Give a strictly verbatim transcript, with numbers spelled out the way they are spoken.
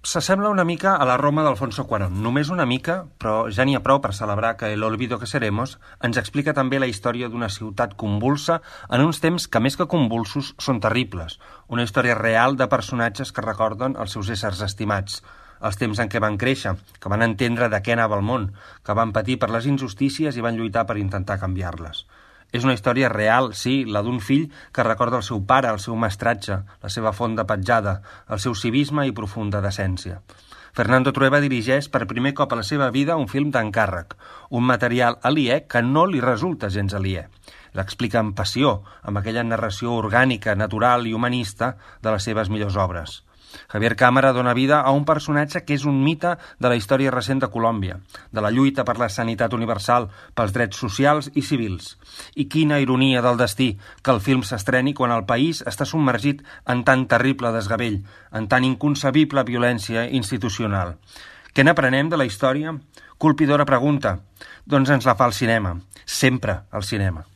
s'assembla una mica a la Roma d'Alfonso Cuarón, només una mica, però ja n'hi ha prou per celebrar que El olvido que seremos ens explica també la història d'una ciutat convulsa en uns temps que més que convulsos són terribles, una història real de personatges que recorden els seus éssers estimats, els temps en què van créixer, que van entendre de què anava el món, que van patir per les injustícies i van lluitar per intentar canviar-les. És una història real, sí, la d'un fill que recorda el seu pare, el seu mestratge, la seva font de petjada, el seu civisme i profunda decència. Fernando Trueba dirigeix per primer cop a la seva vida un film d'encàrrec, un material aliè que no li resulta gens aliè. L'explica amb passió, amb aquella narració orgànica, natural i humanista de les seves millors obres. Javier Cámara dona vida a un personatge que és un mite de la història recent de Colòmbia, de la lluita per la sanitat universal, pels drets socials i civils. I quina ironia del destí que el film s'estreni quan el país està submergit en tan terrible desgavell, en tan inconcebible violència institucional. Què n'aprenem de la història? Colpidora pregunta. Doncs ens la fa el cinema. Sempre el cinema.